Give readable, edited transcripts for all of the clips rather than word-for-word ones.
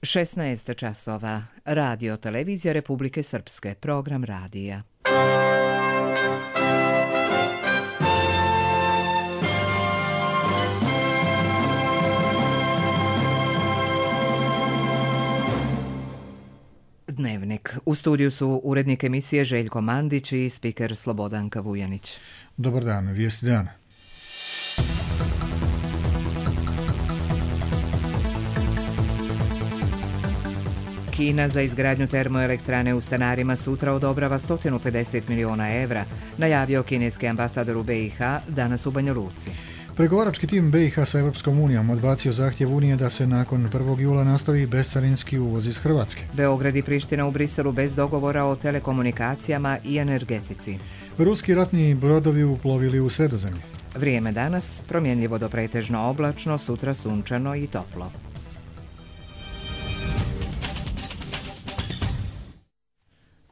16 časova. Radio Televizija Republike Srpske. Program radija. Dnevnik. U studiju su urednik emisije Željko Mandić i spiker Slobodanka Vujanić. Dobar dan, vijesti dana. Kina za izgradnju termoelektrane u Stanarima sutra odobrava 150 miliona evra, najavio kineski ambasador u BiH danas u Banja Luci. Pregovarački tim BiH sa Europskom unijom odbacio zahtjev Unije da se nakon 1. jula nastavi bescarinski uvoz iz Hrvatske. Beograd i Priština u Briselu bez dogovora o telekomunikacijama i energetici. Ruski ratni brodovi uplovili u Sredozemlje. Vrijeme danas promjenljivo do pretežno oblačno, sutra sunčano i toplo.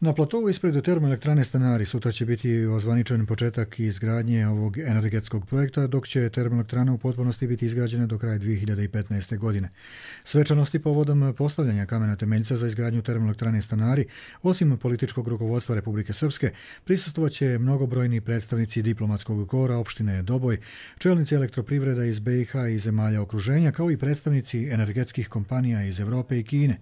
Na platovu ispred termoelektrane Stanari sutra će biti ozvaničen početak izgradnje ovog energetskog projekta, dok će termoelektrana u potpunosti biti izgrađena do kraja 2015. godine. Svečanosti povodom postavljanja kamena temeljca za izgradnju termoelektrane Stanari, osim političkog rukovodstva Republike Srpske, prisustvovat će mnogobrojni predstavnici diplomatskog kora opštine Doboj, čelnici elektroprivreda iz BiH i zemalja okruženja, kao i predstavnici energetskih kompanija iz Europe i Kine.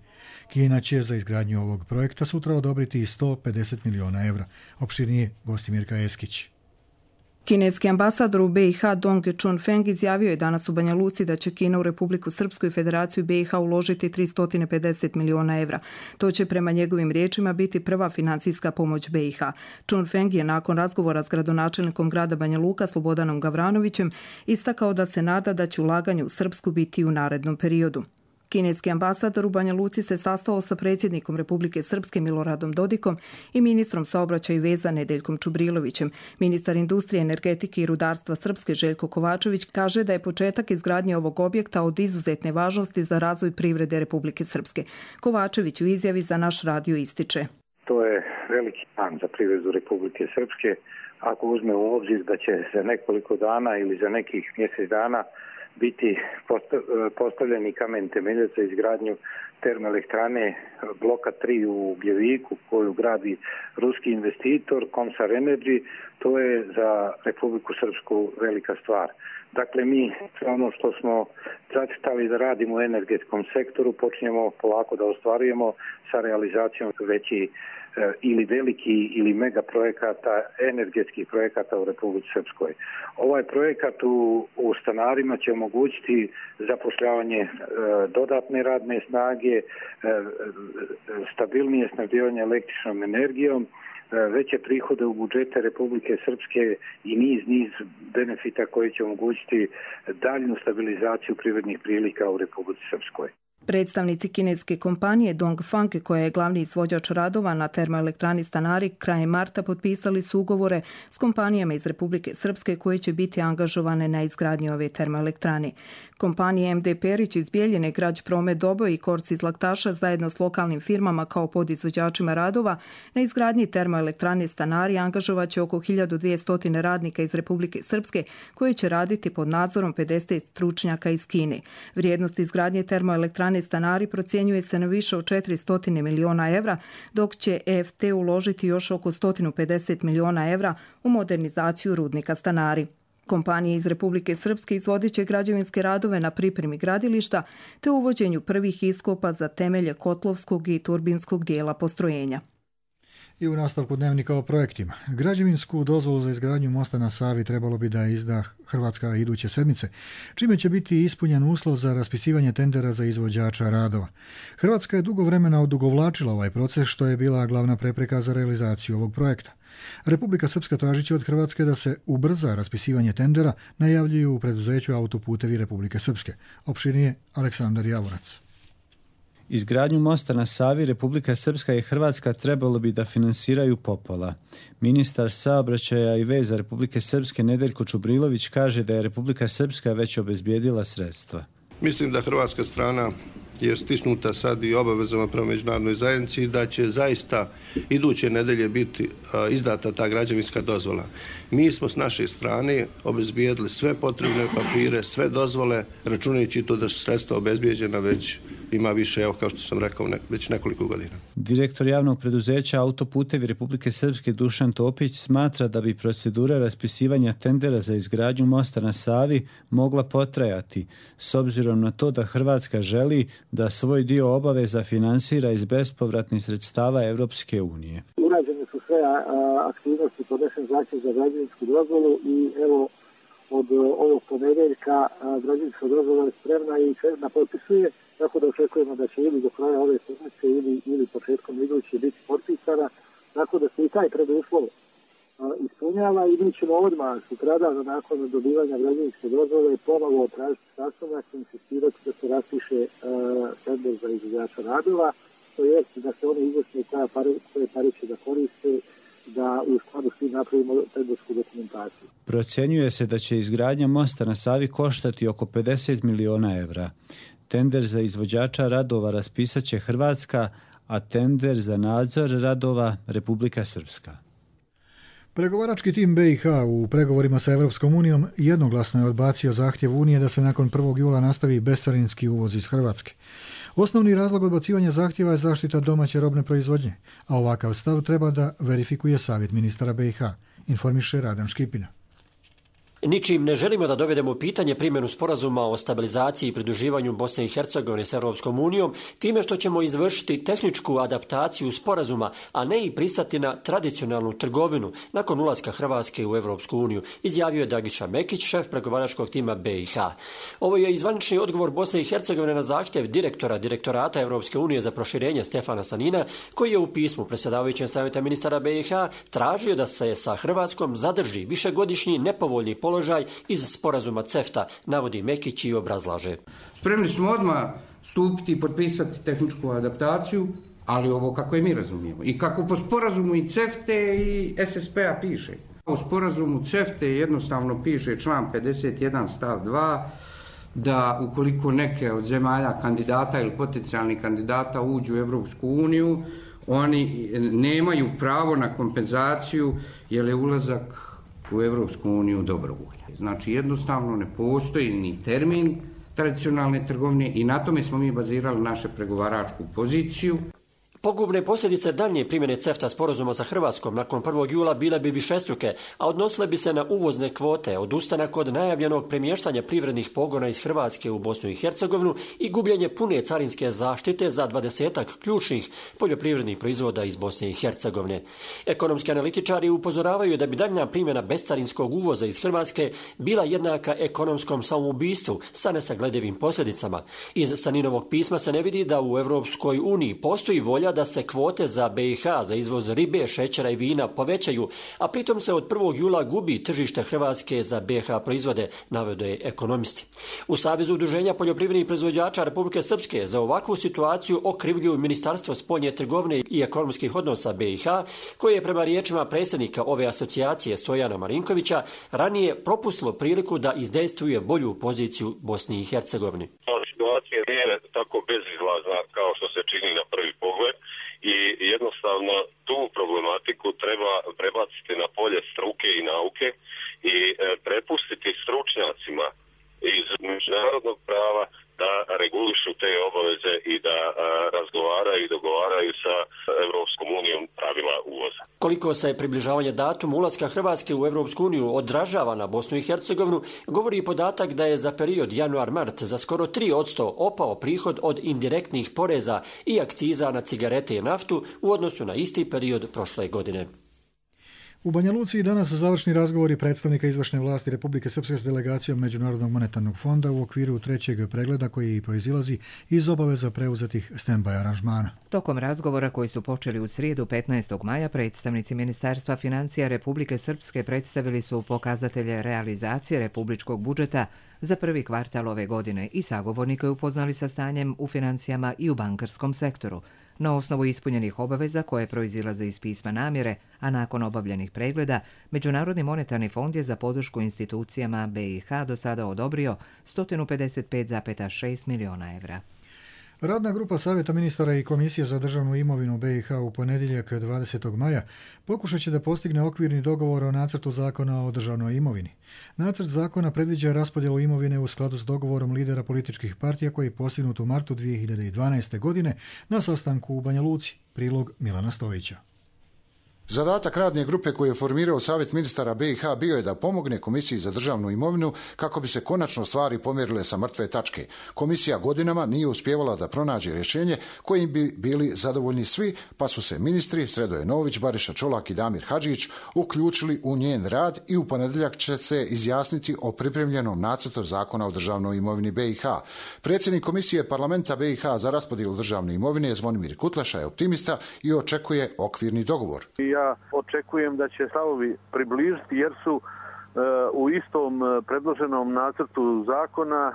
Kina će za izgradnju ovog projekta sutra odobriti 150 miliona evra. Opširnije gosti Mirka Eskić. Kineski ambasador u BiH Dong Chunfeng izjavio je danas u Banja Luci da će Kina u Republiku Srpsku i Federaciju BiH uložiti 350 miliona evra. To će prema njegovim riječima biti prva financijska pomoć BiH. Chunfeng je nakon razgovora s gradonačelnikom grada Banja Luka Slobodanom Gavranovićem istakao da se nada da će ulaganje u Srpsku biti u narednom periodu. Kineski ambasador u Banja Luci se sastao sa predsjednikom Republike Srpske Miloradom Dodikom i ministrom saobraćaja i veza Nedeljkom Čubrilovićem. Ministar industrije, energetike i rudarstva Srpske Željko Kovačević kaže da je početak izgradnje ovog objekta od izuzetne važnosti za razvoj privrede Republike Srpske. Kovačević u izjavi za naš radio ističe: To je veliki dan za privredu Republike Srpske. Ako uzme u obzir da će za nekoliko dana ili za nekih mjesec dana biti postavljeni kamen temeljac za izgradnju termoelektrane bloka 3 u Gljeviku koju gradi ruski investitor Komsar Energy, to je za Republiku Srpsku velika stvar. Dakle, mi ono što smo zacrtali da radimo u energetskom sektoru počinjemo polako da ostvarujemo sa realizacijom veći ili veliki ili mega projekata, energetskih projekata u Republici Srpskoj. Ovaj projekat u Stanarima će omogućiti zapošljavanje dodatne radne snage, stabilnije snabdijevanje električnom energijom, veće prihode u budžete Republike Srpske i niz benefita koji će omogućiti daljnju stabilizaciju privrednih prilika u Republici Srpskoj. Predstavnici kineske kompanije Dongfang, koja je glavni izvođač radova na termoelektrani Stanari, krajem marta potpisali su ugovore s kompanijama iz Republike Srpske koje će biti angažovane na izgradnji ove termoelektrane. Kompanije MD Perić iz Bijeljine, Grać Promet Doboj i Korci iz Laktaša zajedno s lokalnim firmama kao podizvođačima radova na izgradnji termoelektrane Stanari angažovaće oko 1200 radnika iz Republike Srpske koje će raditi pod nadzorom 50 stručnjaka iz Kine. Vrijednost izgradnje termoelektrane Stanari procjenjuje se na više od 400 miliona evra, dok će EFT uložiti još oko 150 miliona evra u modernizaciju rudnika Stanari. Kompanije iz Republike Srpske izvodit će građevinske radove na pripremi gradilišta te uvođenju prvih iskopa za temelje kotlovskog i turbinskog dijela postrojenja. I u nastavku dnevnika o projektima. Građevinsku dozvolu za izgradnju mosta na Savi trebalo bi da izda Hrvatska iduće sedmice, čime će biti ispunjen uslov za raspisivanje tendera za izvođača radova. Hrvatska je dugo vremena odugovlačila ovaj proces, što je bila glavna prepreka za realizaciju ovog projekta. Republika Srpska tražiće od Hrvatske da se ubrza raspisivanje tendera, najavljuju u preduzeću Autoputevi Republike Srpske. Opširnije Aleksandar Javorac. Izgradnju mosta na Savi Republika Srpska i Hrvatska trebalo bi da finansiraju popola. Ministar saobraćaja i veza Republike Srpske Nedeljko Čubrilović kaže da je Republika Srpska već obezbijedila sredstva. Mislim da hrvatska strana je stisnuta sad i obavezama prema međunarodnoj zajednici da će zaista iduće nedelje biti izdata ta građevinska dozvola. Mi smo s naše strane obezbijedili sve potrebne papire, sve dozvole, računajući to da su sredstva obezbijeđena već ima više, evo kao što sam rekao, već nekoliko godina. Direktor javnog preduzeća Autoputevi Republike Srpske Dušan Topić smatra da bi procedura raspisivanja tendera za izgradnju mosta na Savi mogla potrajati, s obzirom na to da Hrvatska želi da svoj dio obaveza finansira iz bespovratnih sredstava Europske unije. Urađene su sve aktivnosti, podnesen zahtjev za građevinsku dozvolu i evo od ovog ponedjeljka građevinska dozvola je spremna i na potpisuje, tako da očekujemo da će ili do kraja ove sedmice ili početkom iduće biti potpisana, tako da se i taj preduslov ispunjava i mi ćemo odmah sutradan nakon dobivanja građevinske dozvole ponovo tražiti sastanak i insistirati da se raspiše tender za izvođača radova, to je da se oni izvršne koje pare će da koriste, da u skladu svi napravimo tendersku dokumentaciju. Procjenjuje se da će izgradnja mosta na Savi koštati oko 50 miliona evra. Tender za izvođača radova raspisat će Hrvatska, a tender za nadzor radova Republika Srpska. Pregovarački tim BiH u pregovorima sa Europskom unijom jednoglasno je odbacio zahtjev Unije da se nakon 1. jula nastavi bescarinski uvoz iz Hrvatske. Osnovni razlog odbacivanja zahtjeva je zaštita domaće robne proizvodnje, a ovakav stav treba da verifikuje savjet ministara BiH, informiše Radan Škipina. Ničim ne želimo da dovedemo u pitanje primjenu sporazuma o stabilizaciji i pridruživanju Bosne i Hercegovine s Europskom unijom, time što ćemo izvršiti tehničku adaptaciju sporazuma, a ne i pristati na tradicionalnu trgovinu nakon ulaska Hrvatske u Europsku uniju, izjavio je Dagiša Mekić, šef pregovaračkog tima BiH. Ovo je zvanični odgovor Bosne i Hercegovine na zahtjev direktorata Europske unije za proširenje Stefana Sanina, koji je u pismu predsjedavajućem savjeta ministara BiH tražio da se sa Hrvatskom zadrži višegodišnji nepovoljni položaj iz sporazuma CEFTA, navodi Mekić i obrazlaže. Spremni smo odmah stupiti i potpisati tehničku adaptaciju, ali ovo kako je mi razumijemo. I kako po sporazumu i CEFTA i SSP-a piše. U sporazumu CEFTA jednostavno piše član 51 stav 2 da ukoliko neke od zemalja kandidata ili potencijalnih kandidata uđu u Europsku uniju, oni nemaju pravo na kompenzaciju jer je ulazak u Europsku uniju dobrovolja. Znači jednostavno ne postoji ni termin tradicionalne trgovine i na tome smo mi bazirali našu pregovaračku poziciju. Pogubne posljedice daljnje primjene CEFTA sporazuma sa Hrvatskom nakon 1. jula bile bi višestruke, a odnosile bi se na uvozne kvote, odustanak od najavljenog premještanja privrednih pogona iz Hrvatske u Bosnu i Hercegovinu i gubljenje pune carinske zaštite za 20-ak ključnih poljoprivrednih proizvoda iz Bosne i Hercegovine. Ekonomski analitičari upozoravaju da bi daljnja primjena bescarinskog uvoza iz Hrvatske bila jednaka ekonomskom samoubistvu sa nesagledivim posljedicama. Iz Saninovog pisma se ne vidi da u Europskoj uniji postoji volja da se kvote za BiH za izvoz ribe, šećera i vina povećaju, a pritom se od 1. jula gubi tržište Hrvatske za BiH proizvode, navode ekonomisti. U Savezu udruženja poljoprivrednih proizvođača Republike Srpske za ovakvu situaciju okrivljuju Ministarstvo spoljne trgovine i ekonomskih odnosa BiH, koje je prema riječima predsjednika ove asocijacije Stojana Marinkovića ranije propustilo priliku da izdejstvuje bolju poziciju Bosni i Hercegovini. Situacija nije tako bezizlazna kao što se čini na prvi pogled i jednostavno tu problematiku treba prebaciti na polje struke i nauke i prepustiti stručnjacima iz međunarodnog prava da regulišu te obaveze i da razgovaraju i dogovaraju sa Europskom unijom pravila uvoza. Koliko se približavanje datuma ulaska Hrvatske u Europsku uniju odražava na Bosnu i Hercegovinu, govori i podatak da je za period januar-mart za skoro 3% opao prihod od indirektnih poreza i akciza na cigarete i naftu u odnosu na isti period prošle godine. U Banja Luci danas završni razgovori predstavnika izvršne vlasti Republike Srpske s delegacijom Međunarodnog monetarnog fonda u okviru trećeg pregleda koji proizilazi iz obaveza preuzetih stand-by aranžmana. Tokom razgovora koji su počeli u srijedu 15. maja, predstavnici Ministarstva financija Republike Srpske predstavili su pokazatelje realizacije republičkog budžeta za prvi kvartal ove godine i sagovornike upoznali sa stanjem u financijama i u bankarskom sektoru. Na osnovu ispunjenih obaveza koje proizilaze iz pisma namjere, a nakon obavljenih pregleda, Međunarodni monetarni fond je za podršku institucijama BiH do sada odobrio 155,6 miliona evra. Radna grupa Savjeta ministara i Komisije za državnu imovinu BiH u ponedjeljak 20. maja pokušat će da postigne okvirni dogovor o nacrtu zakona o državnoj imovini. Nacrt zakona predviđa raspodjelu imovine u skladu s dogovorom lidera političkih partija koji je postignut u martu 2012. godine na sastanku u Banja Luci. Prilog Milana Stojića. Zadatak radne grupe koju je formirao Savjet ministara BiH bio je da pomogne Komisiji za državnu imovinu kako bi se konačno stvari pomjerile sa mrtve tačke. Komisija godinama nije uspijevala da pronađe rješenje kojim bi bili zadovoljni svi, pa su se ministri Sredoje Nović, Bariša Čolak i Damir Hadžić uključili u njen rad i u ponedjeljak će se izjasniti o pripremljenom nacrtu zakona o državnoj imovini BiH. Predsjednik Komisije parlamenta BiH za raspodjelu državne imovine Zvonimir Kutleša je optimista i očekuje okvirni dogovor. Ja očekujem da će stavovi približiti jer su u istom predloženom nacrtu zakona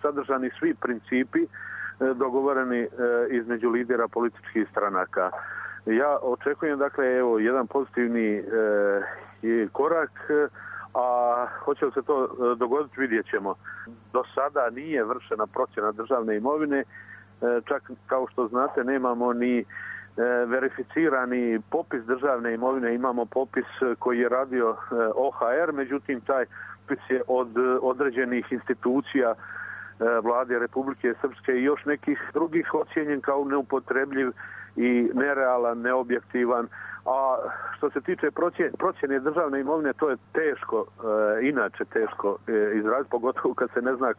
sadržani svi principi dogovoreni između lidera političkih stranaka. Ja očekujem dakle jedan pozitivni korak, a hoće li se to dogoditi vidjet ćemo. Do sada nije vršena procjena državne imovine, čak kao što znate nemamo ni verificirani popis državne imovine, imamo popis koji je radio OHR, međutim taj popis je od određenih institucija Vlade Republike Srpske i još nekih drugih ocijenjen kao neupotrebljiv i nerealan, neobjektivan. A što se tiče procjene državne imovine, to je teško, inače teško izraziti, pogotovo kad se ne zna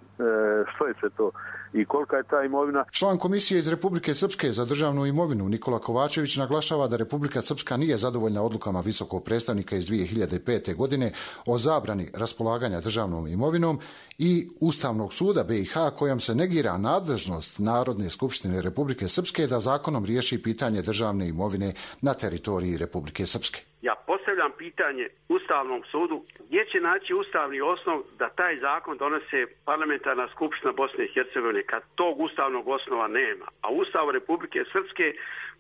što je sve to i kolika je ta imovina. Član Komisije iz Republike Srpske za državnu imovinu Nikola Kovačević naglašava da Republika Srpska nije zadovoljna odlukama visokog predstavnika iz 2005. godine o zabrani raspolaganja državnom imovinom i Ustavnog suda BiH kojom se negira nadležnost Narodne skupštine Republike Srpske da zakonom riješi pitanje državne imovine na teritoriji Republike Srpske. Ja postavljam pitanje Ustavnom sudu gdje će naći ustavni osnov da taj zakon donese parlamentarna skupština Bosne i Hercegovine kad tog ustavnog osnova nema. A Ustav Republike Srpske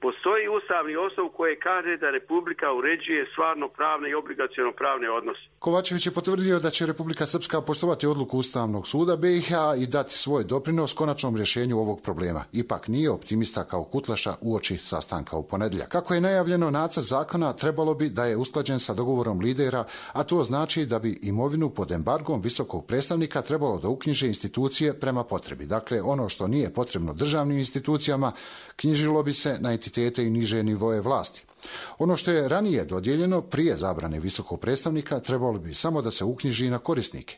postoji ustavni osnov koji kaže da Republika uređuje stvarno pravne i obligaciono pravne odnose. Kovačević je potvrdio da će Republika Srpska poštovati odluku Ustavnog suda BiH i dati svoj doprinos konačnom rješenju ovog problema. Ipak nije optimista kao Kutleša uoči sastanka u ponedjeljak. Kako je najavljeno, nacrt zakona trebalo bi da je usklađen sa dogovorom lidera, a to znači da bi imovinu pod embargom visokog predstavnika trebalo da uknjiže institucije prema potrebi. Dakle, ono što nije potrebno državnim institucijama knjižilo bi se na entitete i niže nivoje vlasti. Ono što je ranije dodijeljeno prije zabrane visokog predstavnika trebalo bi samo da se uknjiži na korisnike.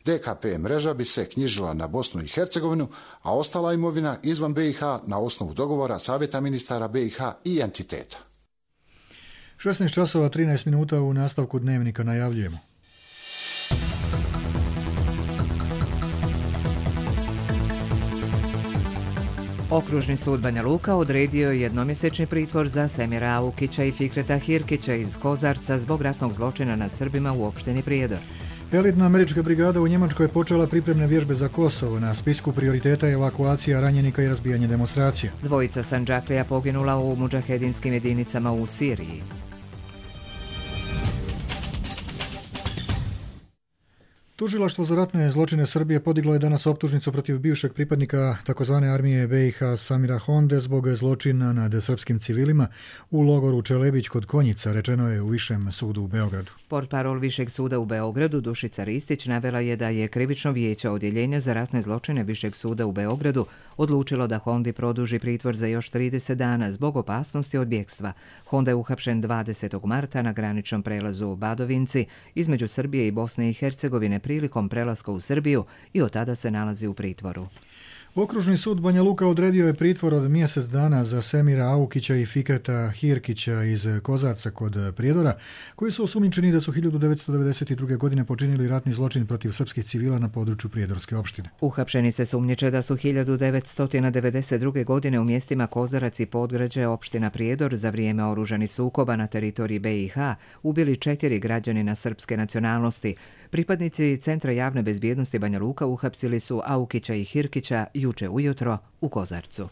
DKP mreža bi se knjižila na Bosnu i Hercegovinu, a ostala imovina izvan BiH na osnovu dogovora Savjeta ministara BiH i entiteta. 16 časova 13 minuta u nastavku dnevnika najavljujemo. Okružni sud Banja Luka odredio je jednomjesečni pritvor za Semira Aukića i Fikreta Hirkića iz Kozarca zbog ratnog zločina nad Srbima u opštini Prijedor. Elitna američka brigada u Njemačkoj je počela pripremne vježbe za Kosovo. Na spisku prioriteta je evakuacija ranjenika i razbijanje demonstracija. Dvojica Sandžaklija poginula u mudžahedinskim jedinicama u Siriji. Tužilaštvo za ratne zločine Srbije podiglo je danas optužnicu protiv bivšeg pripadnika tzv. Armije BiH Samira Honde zbog zločina nad srpskim civilima u logoru Čelebić kod Konjica, rečeno je u Višem sudu u Beogradu. Portparol Višeg suda u Beogradu Dušica Ristić navela je da je krivično vijeće odjeljenja za ratne zločine Višeg suda u Beogradu odlučilo da Hondi produži pritvor za još 30 dana zbog opasnosti od bjegstva. Honda je uhapšen 20. marta na graničnom prelazu u Badovinci između Srbije i Bosne i Hercegovine prilikom prelaska u Srbiju i od tada se nalazi u pritvoru. Okružni sud Banja Luka odredio je pritvor od mjesec dana za Semira Aukića i Fikreta Hirkića iz Kozarca kod Prijedora, koji su osumnjičeni da su 1992. godine počinili ratni zločin protiv srpskih civila na području Prijedorske opštine. Uhapšeni se sumnjiče da su 1992. godine u mjestima Kozarac i Podgrađe opština Prijedor za vrijeme oružanih sukoba na teritoriji BiH ubili 4 građanina srpske nacionalnosti. Pripadnici Centra javne bezbjednosti Banja Luka uhapsili su Aukića i Hirkića juče ujutro u Kozarcu.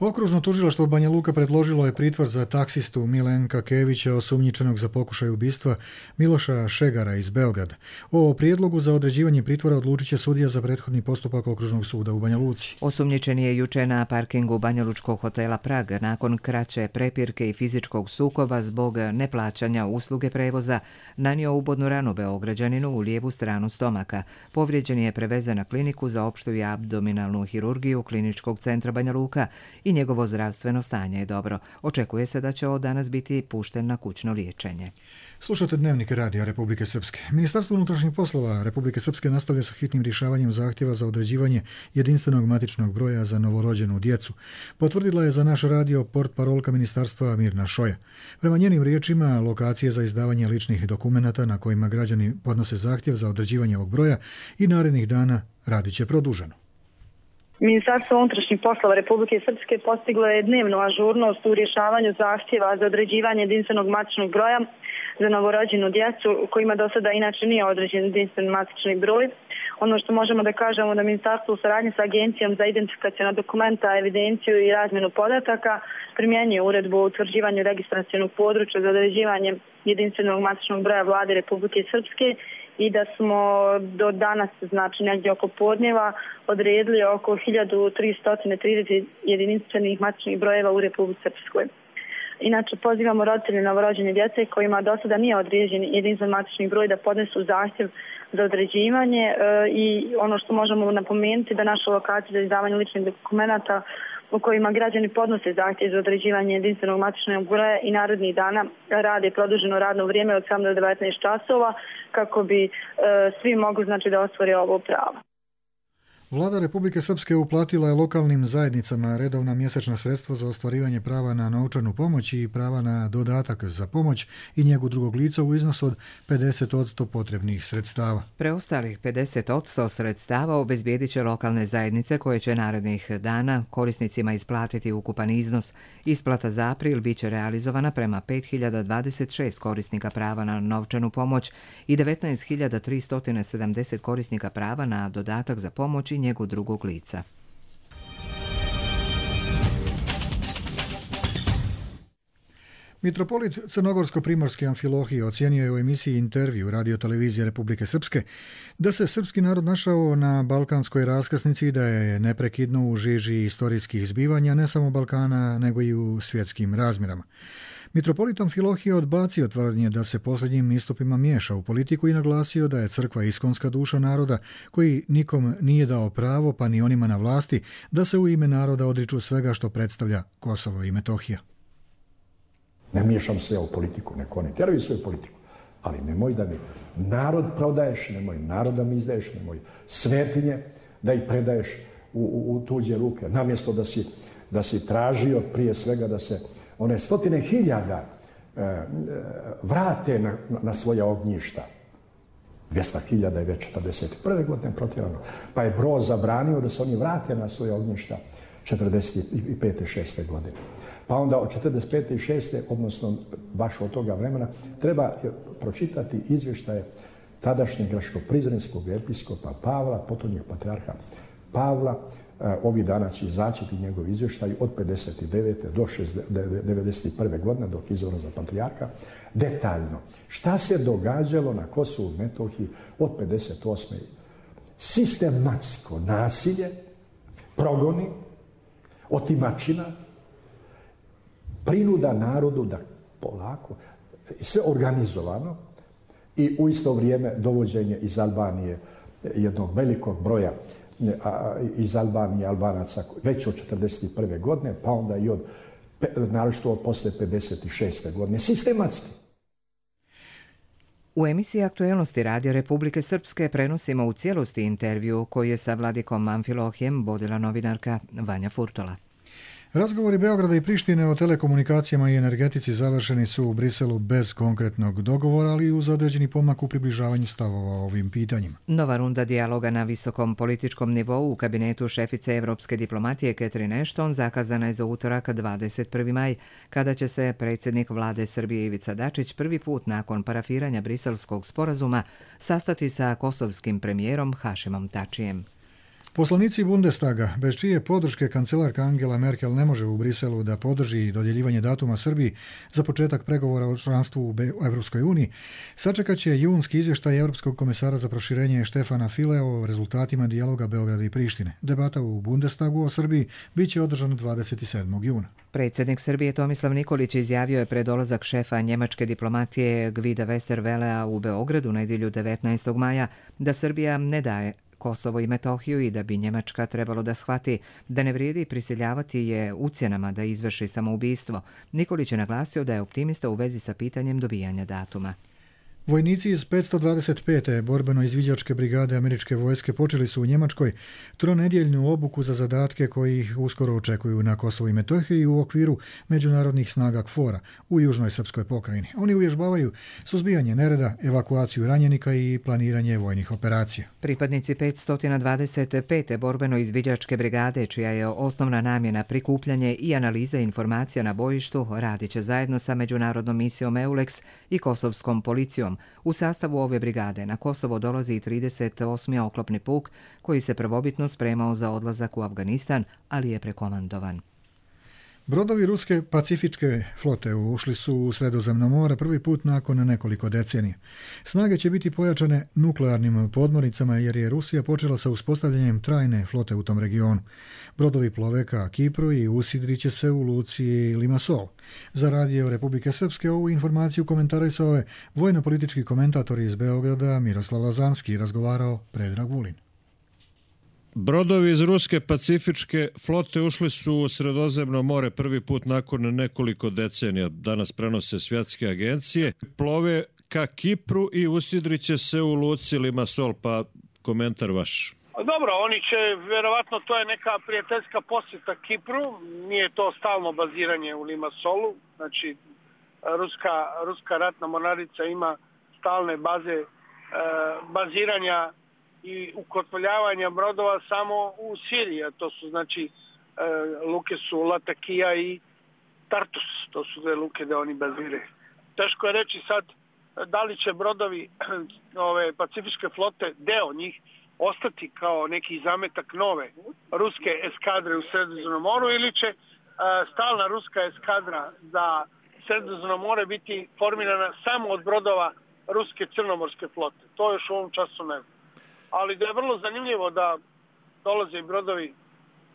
Okružno tužilaštvo Banja Luka predložilo je pritvor za taksistu Milenka Kevića, osumnjičenog za pokušaj ubistva Miloša Šegara iz Beograda. O prijedlogu za određivanje pritvora odlučit će sudija za prethodni postupak Okružnog suda u Banja Luci. Osumnjičen je juče na parkingu banjalučkog hotela Prag nakon kraće prepirke i fizičkog sukoba zbog neplaćanja usluge prevoza nanio ubodnu ranu Beograđaninu u lijevu stranu stomaka. Povrijeđen je prevezen na kliniku za opštu i abdominalnu hirurgiju Kliničkog centra Banja Luka i njegovo zdravstveno stanje je dobro. Očekuje se da će od danas biti pušten na kućno liječenje. Slušate Dnevnik radija Republike Srpske. Ministarstvo unutrašnjih poslova Republike Srpske nastavlja sa hitnim rješavanjem zahtjeva za određivanje jedinstvenog matičnog broja za novorođenu djecu. Potvrdila je za naš radio portparolka ministarstva Mirna Šoja. Prema njenim riječima, lokacije za izdavanje ličnih dokumenata na kojima građani podnose zahtjev za određivanje ovog broja i narednih dana radit će produženo. Ministarstvo unutrašnjih poslova Republike Srpske postiglo je dnevnu ažurnost u rješavanju zahtjeva za određivanje jedinstvenog matičnog broja za novorođenu djecu kojima do sada inače nije određen jedinstven matični broj. Ono što možemo da kažemo da Ministarstvo u saradnji sa Agencijom za identifikacionu dokumenta, evidenciju i razmjenu podataka primjenjuje uredbu o utvrđivanju registracionog područja za određivanje jedinstvenog matičnog broja Vlade Republike Srpske i da smo do danas, znači negdje oko podnjeva, odredili oko 1330 jedinstvenih matičnih brojeva u Republici Srpskoj. Inače, pozivamo roditelje novorođene djece kojima do sada nije određen jedinstven matični broj da podnesu zahtjev za određivanje i ono što možemo napomenuti da naša lokacija za izdavanje ličnih dokumenata u kojima građani podnose zahtjev za određivanje jedinstvenog matičnog broja i narednih dana rade produženo radno vrijeme od 7 do 19 časova kako bi svi mogli da ostvare ovo pravo. Vlada Republike Srpske uplatila je lokalnim zajednicama redovna mjesečna sredstva za ostvarivanje prava na novčanu pomoć i prava na dodatak za pomoć i njegu drugog lica u iznosu od 50% potrebnih sredstava. Preostalih 50% sredstava obezbijedit će lokalne zajednice koje će narednih dana korisnicima isplatiti ukupan iznos. Isplata za april bit će realizovana prema 5026 korisnika prava na novčanu pomoć i 19.370 korisnika prava na dodatak za pomoć i njegu drugog lica. Mitropolit Crnogorsko-primorske Amfilohije ocijenio je u emisiji Intervju Radio-televizije Republike Srpske da se srpski narod našao na balkanskoj raskrsnici i da je neprekidno u žiži istorijskih zbivanja ne samo Balkana, nego i u svjetskim razmjerama. Mitropolit Amfilohije odbacio tvrdnje da se posljednjim istupima miješa u politiku i naglasio da je crkva iskonska duša naroda koji nikom nije dao pravo, pa ni onima na vlasti, da se u ime naroda odriču svega što predstavlja Kosovo i Metohija. Ne miješam se ja u politiku, neko ne teraju svoju politiku, ali nemoj da mi narod prodaješ, nemoj narod da mi izdaješ, nemoj svetinje da ih predaješ u tuđe ruke, namjesto da si tražio prije svega da se one 100.000 vrate na svoja ognjišta. 200.000 je već 41. godine protjerano, pa je Broz zabranio da se oni vrate na svoje ognjišta 45. 6. godine. Pa onda od 45. i 6. odnosno baš od toga vremena treba pročitati izvještaje tadašnjeg grčko-prizrenskog episkopa Pavla, potonjeg patrijarha Pavla. Ovih dana će izaći njegov izvještaj od 59. do 91. godine dok je izabran za patrijarha. Detaljno. Šta se događalo na Kosovu i Metohiji od 58. Sistematsko nasilje, progoni, otimačina, prinuda narodu da polako, sve organizovano i u isto vrijeme dovođenje iz Albanije jednog velikog broja iz Albanije Albanaca već od 41. godine, pa onda i od naročito posle 56. godine. Sistematski. U emisiji Aktuelnosti Radio Republike Srpske prenosimo u cijelosti intervju koji je sa vladikom Amfilohijem vodila novinarka Vanja Furtola. Razgovori Beograda i Prištine o telekomunikacijama i energetici završeni su u Briselu bez konkretnog dogovora, ali uz određeni pomak u približavanju stavova o ovim pitanjima. Nova runda dijaloga na visokom političkom nivou u kabinetu šefice evropske diplomatije Catherine Ashton zakazana je za utorak 21. maj, kada će se predsjednik vlade Srbije Ivica Dačić prvi put nakon parafiranja briselskog sporazuma sastati sa kosovskim premijerom Hašimom Tačijem. Poslanici Bundestaga, bez čije podrške kancelarka Angela Merkel ne može u Briselu da podrži dodjeljivanje datuma Srbiji za početak pregovora o članstvu u Evropskoj uniji, sačekat će junski izvještaj Europskog komesara za proširenje Štefana File o rezultatima dijaloga Beograda i Prištine. Debata u Bundestagu o Srbiji bit će održana 27. juna. Predsjednik Srbije Tomislav Nikolić izjavio je pred dolazak šefa njemačke diplomatije Gvida Westervelea u Beogradu nedjelju 19. maja da Srbija ne daje Kosovo i Metohiju i da bi Njemačka trebalo da shvati da ne vrijedi prisiljavati je ucjenama da izvrši samoubistvo. Nikolić je naglasio da je optimista u vezi sa pitanjem dobijanja datuma. Vojnici iz 525. borbeno-izviđačke brigade američke vojske počeli su u Njemačkoj tronedjeljnu obuku za zadatke koji ih uskoro očekuju na Kosovu i Metohiji u okviru međunarodnih snaga KFOR-a u južnoj srpskoj pokrajini. Oni uvježbavaju suzbijanje nereda, evakuaciju ranjenika i planiranje vojnih operacija. Pripadnici 525. borbeno-izviđačke brigade, čija je osnovna namjena prikupljanje i analiza informacija na bojištu, radit će zajedno sa međunarodnom misijom EULEX i kosovskom policijom. U sastavu ove brigade na Kosovo dolazi i 38. oklopni puk koji se prvobitno spremao za odlazak u Afganistan, ali je prekomandovan. Brodovi ruske pacifičke flote ušli su u Sredozemno more prvi put nakon nekoliko decenija. Snage će biti pojačane nuklearnim podmornicama jer je Rusija počela sa uspostavljanjem trajne flote u tom regionu. Brodovi plove ka Kipru i usidrit će se u luci Limassol. Za radio Republike Srpske ovu informaciju komentarisao je vojno-politički komentator iz Beograda Miroslav Lazanski, razgovarao Predrag Vulin. Brodovi iz ruske pacifičke flote ušli su u Sredozemno more prvi put nakon nekoliko decenija. Danas prenose svjetske agencije. Plove ka Kipru i usidrit će se u luci Limassol, pa komentar vaš. Dobro, oni će, vjerovatno to je neka prijateljska posjeta Kipru, nije to stalno baziranje u Limassolu, znači ruska ratna mornarica ima stalne baze baziranja i ukotvoljavanja brodova samo u Siriji, a to su znači luke su Latakija i Tartus, to su dve luke da oni baziraju. Teško je reći sad da li će brodovi ove pacifičke flote, deo njih, ostati kao neki zametak nove ruske eskadre u Sredozemnom moru ili će stalna ruska eskadra za Sredozemno more biti formirana samo od brodova ruske crnomorske flote. To još u ovom času ne znam. Ali da je vrlo zanimljivo da dolaze brodovi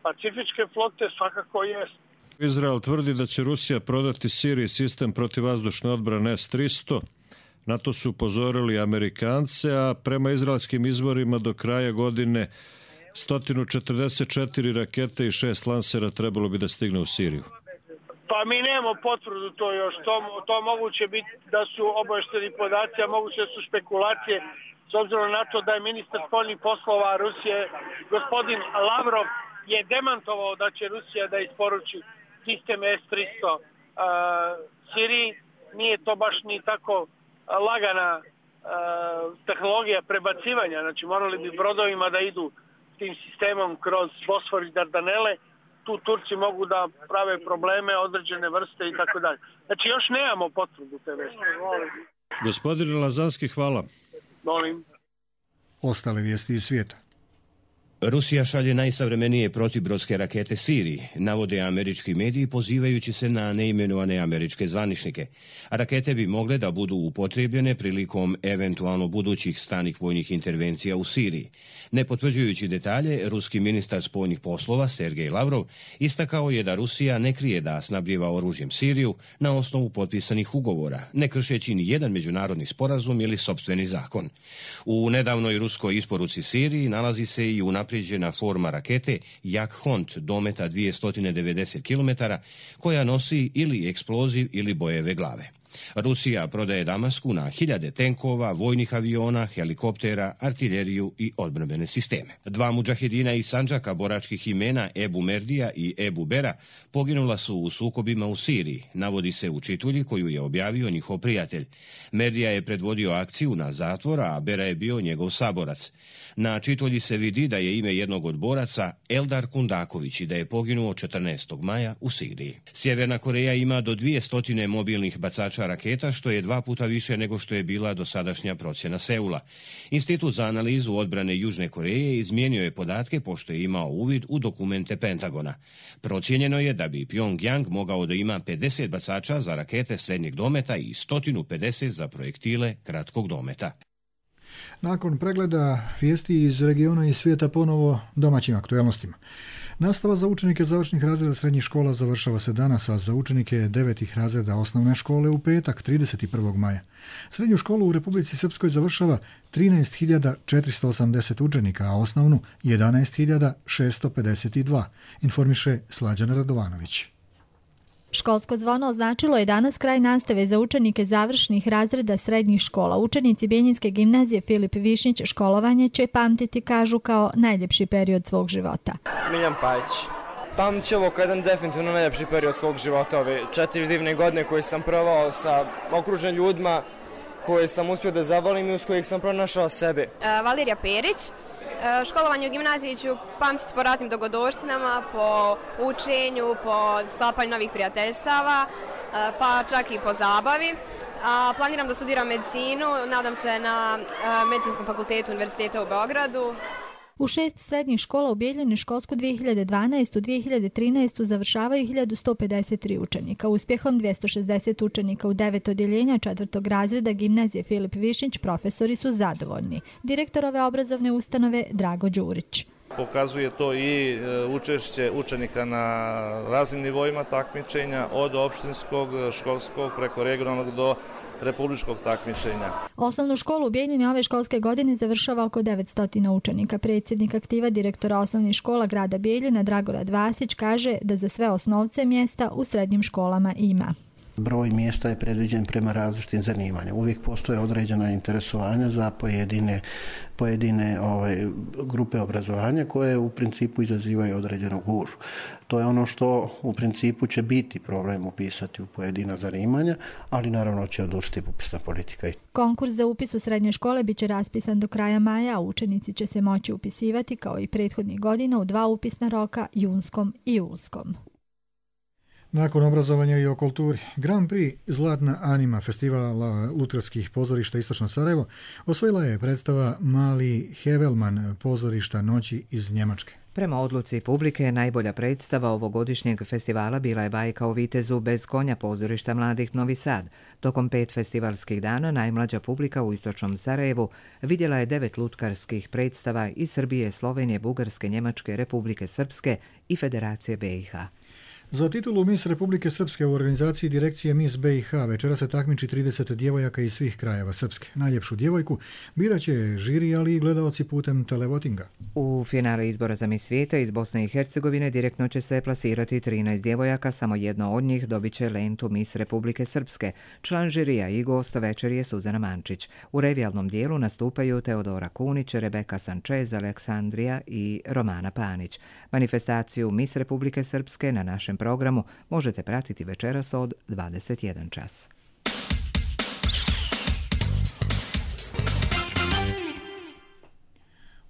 pacifičke flote, svakako jest. Izrael tvrdi da će Rusija prodati Siriji sistem protivvazdušne odbrane S-300. Na to su upozorili Amerikance, a prema izraelskim izvorima do kraja godine 144 rakete i 6 lansera trebalo bi da stigne u Siriju. Pa mi nemamo potvrdu to još. To moguće biti da su obavešteni podaci, a moguće da su špekulacije, s obzirom na to da je ministar spoljnih poslova Rusije, gospodin Lavrov, je demantovao da će Rusija da isporuči sistem S-300 Siriji. Nije to baš ni tako lagana tehnologija prebacivanja, znači morali bi brodovima da idu tim sistemom kroz Bosfor i Dardanele, tu Turci mogu da prave probleme, određene vrste i tako dalje. Znači još nemamo potvrdu te vesti. Gospodine Lazanski, hvala. Molim. Ostale vijesti iz svijeta. Rusija šalje najsavremenije protibrodske rakete Siriji, navode američki mediji pozivajući se na neimenovane američke zvaničnike. Rakete bi mogle da budu upotrijebljene prilikom eventualno budućih stranih vojnih intervencija u Siriji. Ne potvrđujući detalje, ruski ministar spoljnih poslova Sergej Lavrov istakao je da Rusija ne krije da snabdijeva oružjem Siriju na osnovu potpisanih ugovora, ne kršeći ni jedan međunarodni sporazum ili sopstveni zakon. U nedavnoj ruskoj isporuci Siriji nalazi se i unaprijeđena forma rakete Jak-Hont dometa 290 km koja nosi ili eksploziv ili bojeve glave. Rusija prodaje Damasku na hiljade tenkova, vojnih aviona, helikoptera, artiljeriju i odbrambene sisteme. Dva mudžahedina iz Sandžaka boračkih imena Ebu Merdija i Ebu Bera poginula su u sukobima u Siriji, navodi se u čitulji koju je objavio njihov prijatelj. Merdija je predvodio akciju na zatvora, a Bera je bio njegov saborac. Na čitulji se vidi da je ime jednog od boraca Eldar Kundaković i da je poginuo 14. maja u Siriji. Sjeverna Koreja ima do 200 mobilnih bacača viša raketa, što je 2 puta više nego što je bila dosadašnja procjena Seula. Institut za analizu odbrane Južne Koreje izmijenio je podatke pošto je imao uvid u dokumente Pentagona. Procijenjeno je da bi Pyongyang mogao da ima 50 bacača za rakete srednjeg dometa i 150 za projektile kratkog dometa. Nakon pregleda vijesti iz regiona i svijeta ponovo domaćim aktualnostima. Nastava za učenike završnih razreda srednjih škola završava se danas, a za učenike 9. razreda osnovne škole u petak 31. maja. Srednju školu u Republici Srpskoj završava 13.480 učenika, a osnovnu 11.652, informiše Slađana Radovanović. Školsko zvono označilo je danas kraj nastave za učenike završnih razreda srednjih škola. Učenici Bjenjinske gimnazije Filip Višnjić školovanje će pamtiti, kažu, kao najljepši period svog života. Miljan Pajić. Pamtit ću ovo kao jedan definitivno najljepši period svog života. Ove 4 divne godine koje sam provao sa okruženim ljudima koje sam uspio da zavolim i uz kojih sam pronašao sebe. Valerija Perić. Školovanje u gimnaziji ću pamtiti po raznim dogodovštinama, po učenju, po sklapanju novih prijateljstava, pa čak i po zabavi. Planiram da studiram medicinu, nadam se na Medicinskom fakultetu Univerziteta u Beogradu. U 6 srednjih škola u Bijeljini školsku 2012-2013 završavaju 1153 učenika. Uspjehom 260 učenika u 9 odjeljenja 4. razreda gimnazije Filip Višnjić profesori su zadovoljni. Direktor ove obrazovne ustanove Drago Đurić. Pokazuje to i učešće učenika na raznim nivoima takmičenja, od opštinskog, školskog, preko regionalnog do republičkog takmičenja. Osnovnu školu u Bijeljini ove školske godine završava oko 900 učenika. Predsjednik aktiva direktora osnovnih škola grada Bijeljina Dragorad Vasić kaže da za sve osnovce mjesta u srednjim školama ima. Broj mjesta je predviđen prema različitim zanimanjima. Uvijek postoje određena interesovanja za pojedine grupe obrazovanja koje u principu izazivaju određenu gužvu. To je ono što u principu će biti problem upisati u pojedina zanimanja, ali naravno će odlučiti upisna politika. Konkurs za upis u srednje škole biće raspisan do kraja maja, a učenici će se moći upisivati kao i prethodnih godina u 2 upisna roka, junskom i julskom. Nakon obrazovanja i o kulturi, Grand Prix Zlatna anima festivala lutherskih pozorišta Istočno Sarajevo osvojila je predstava Mali Hevelman pozorišta noći iz Njemačke. Prema odluci publike, najbolja predstava ovogodišnjeg festivala bila je Bajka o vitezu bez konja pozorišta Mladih Novi Sad. Tokom 5 festivalskih dana najmlađa publika u Istočnom Sarajevu vidjela je 9 lutkarskih predstava iz Srbije, Slovenije, Bugarske, Njemačke, Republike Srpske i Federacije BiH. Za titulu Miss Republike Srpske u organizaciji direkcije Miss BiH večera se takmiči 30 djevojaka iz svih krajeva Srpske. Najljepšu djevojku birat će žiri, ali i gledaoci putem televotinga. U finale izbora za Miss svijeta iz Bosne i Hercegovine direktno će se plasirati 13 djevojaka, samo jedno od njih dobit će lentu Miss Republike Srpske. Član žirija i gost večeri je Suzana Mančić. U revijalnom dijelu nastupaju Teodora Kunić, Rebeka Sančez, Aleksandrija i Romana Panić. Manifestaciju Miss Republike Srpske na našem programu možete pratiti večeras od 21 čas.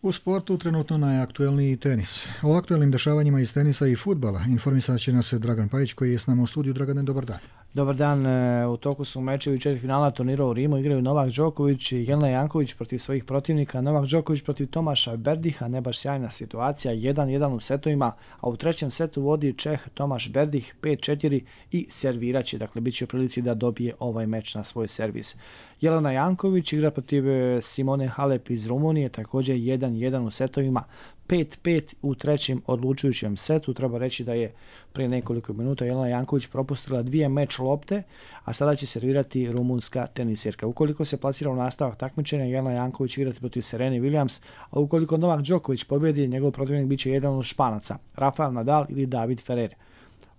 U sportu trenutno najaktuelniji tenis. O aktuelnim dešavanjima iz tenisa i fudbala informisat će nas Dragan Pajić koji je s nama u studiju. Dragane, dobar dan. Dobar dan. U toku su mečevi četvrtfinala turnira u Rimu. Igraju Novak Đoković i Jelena Janković protiv svojih protivnika. Novak Đoković protiv Tomaša Berdiha, ne baš sjajna situacija, 1-1 u setovima, a u trećem setu vodi Čeh Tomaš Berdih 5-4 i serviraće, dakle bit će u prilici da dobije ovaj meč na svoj servis. Jelena Janković igra protiv Simone Halep iz Rumunije, također 1-1 u setovima, 5-5 u trećem odlučujućem setu. Treba reći da je prije nekoliko minuta Jelena Janković propustila 2 meč lopte, a sada će servirati rumunska tenisirka. Ukoliko se plasira u nastavak takmičenja, Jelena Janković igrati protiv Serene Williams, a ukoliko Novak Đoković pobjedi, njegov protivnik biće jedan od Španaca, Rafael Nadal ili David Ferrer.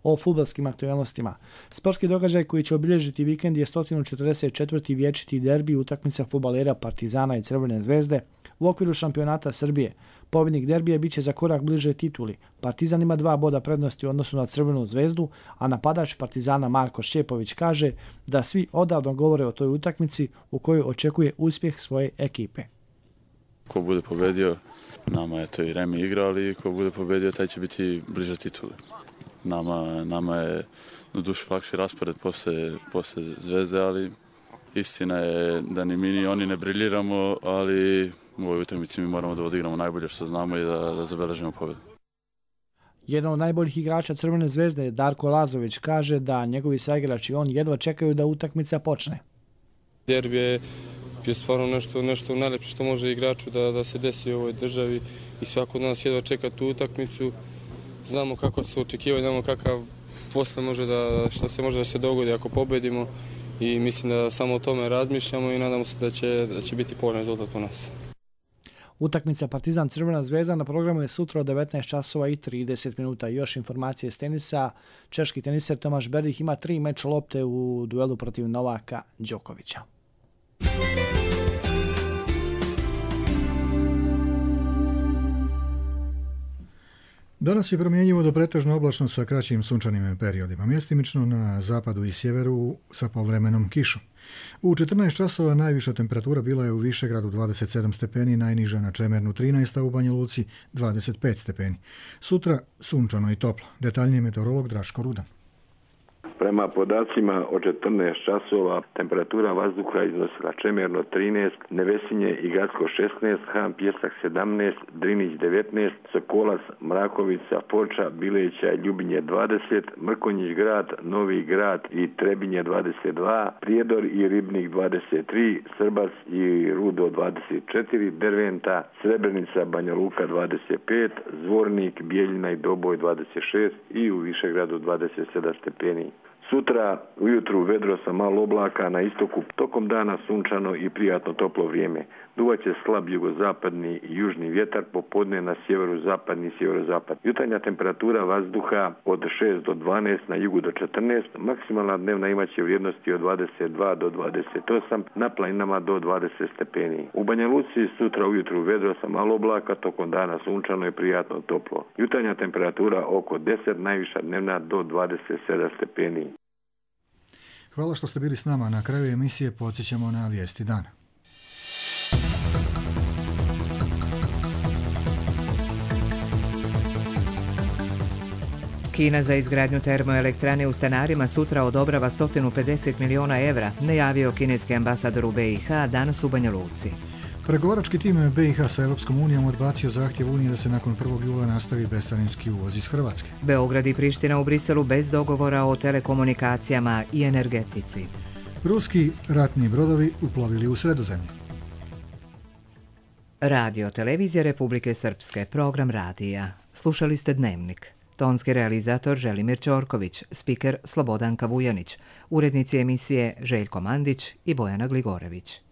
O fudbalskim aktualnostima. Sportski događaj koji će obilježiti vikend je 144. vječiti derbi, utakmica fudbalera Partizana i Crvene zvezde u okviru šampionata Srbije. Pobjednik derbija biće za korak bliže tituli. Partizan ima 2 boda prednosti u odnosu na Crvenu zvezdu, a napadač Partizana Marko Šćepović kaže da svi odavno govore o toj utakmici u kojoj očekuje uspjeh svoje ekipe. Ko bude pobedio, nama je to i remi igra, ali ko bude pobedio taj će biti bliže tituli. Nama je na dušu lakši raspored posle Zvezde, ali istina je da ni mi ni oni ne briljiramo, ali u ovoj utakmici mi moramo da odigramo najbolje što znamo i da zabeležimo pobjedu. Jedan od najboljih igrača Crvene zvezde, Darko Lazović, kaže da njegovi saigrači i on jedva čekaju da utakmica počne. Derbi je stvarno nešto najlepše što može igraču da se desi u ovoj državi i svako od nas jedva čeka tu utakmicu. Znamo kako se očekivaju, znamo kakav posle što se može da se dogodi ako pobedimo i mislim da samo o tome razmišljamo i nadamo se da će biti povoljan rezultat po nas. Utakmica Partizan Crvena zvezda na programu je sutra od 19 časova i 30 minuta. Još informacije s tenisa. Češki teniser Tomaš Berdih ima 3 meč lopte u duelu protiv Novaka Đokovića. Danas je promjenjivo do pretežno oblačno sa kraćim sunčanim periodima, mjestimično na zapadu i sjeveru sa povremenom kišom. U 14 časova najviša temperatura bila je u Višegradu 27 stepeni, najniža na Čemernu 13, a u Banja Luci 25 stepeni. Sutra sunčano i toplo. Detaljnije meteorolog Draško Rudan. Prema podacima od 14 časova temperatura vazduha iznosila Čemerno 13, Nevesinje i Gacko 16, Han Pjesak 17, Drinić 19, Sokolac, Mrakovica, Foča, Bileća i Ljubinje 20, Mrkonjić grad, Novi grad i Trebinje 22, Prijedor i Ribnik 23, Srbac i Rudo 24, Derventa, Srebrenica, Banja Luka 25, Zvornik, Bijeljina i Doboj 26 i u Višegradu 27 stepeni. Sutra ujutru vedro sa malo oblaka, na istoku tokom dana sunčano i prijatno toplo vrijeme. Duvaće slab jugozapadni i južni vjetar, popodne na sjeverozapadni i sjeverozapad. Jutarnja temperatura vazduha od 6 do 12, na jugu do 14, maksimalna dnevna imaće vrijednosti od 22 do 28, na planinama do 20 stepeni. U Banja Luci sutra ujutru vedro sa malo oblaka, tokom dana sunčano i prijatno toplo. Jutarnja temperatura oko 10, najviša dnevna do 27 stepeni. Hvala što ste bili s nama. Na kraju emisije podsjećamo na vijesti dana. Kina za izgradnju termoelektrane u Stanarima sutra odobrava 150 miliona evra, najavio kineski ambasador u BiH danas u Banja Luci. Pregovarački tim BiH sa Europskom unijom odbacio zahtjev Unije da se nakon 1. jula nastavi bescarinski uvoz iz Hrvatske. Beograd i Priština u Briselu bez dogovora o telekomunikacijama i energetici. Ruski ratni brodovi uplovili u Sredozemlje. Radio Televizija Republike Srpske, program radija. Slušali ste Dnevnik. Tonski realizator Želimir Ćorković, spiker Slobodanka Vujanić, urednici emisije Željko Mandić i Bojana Gligorević.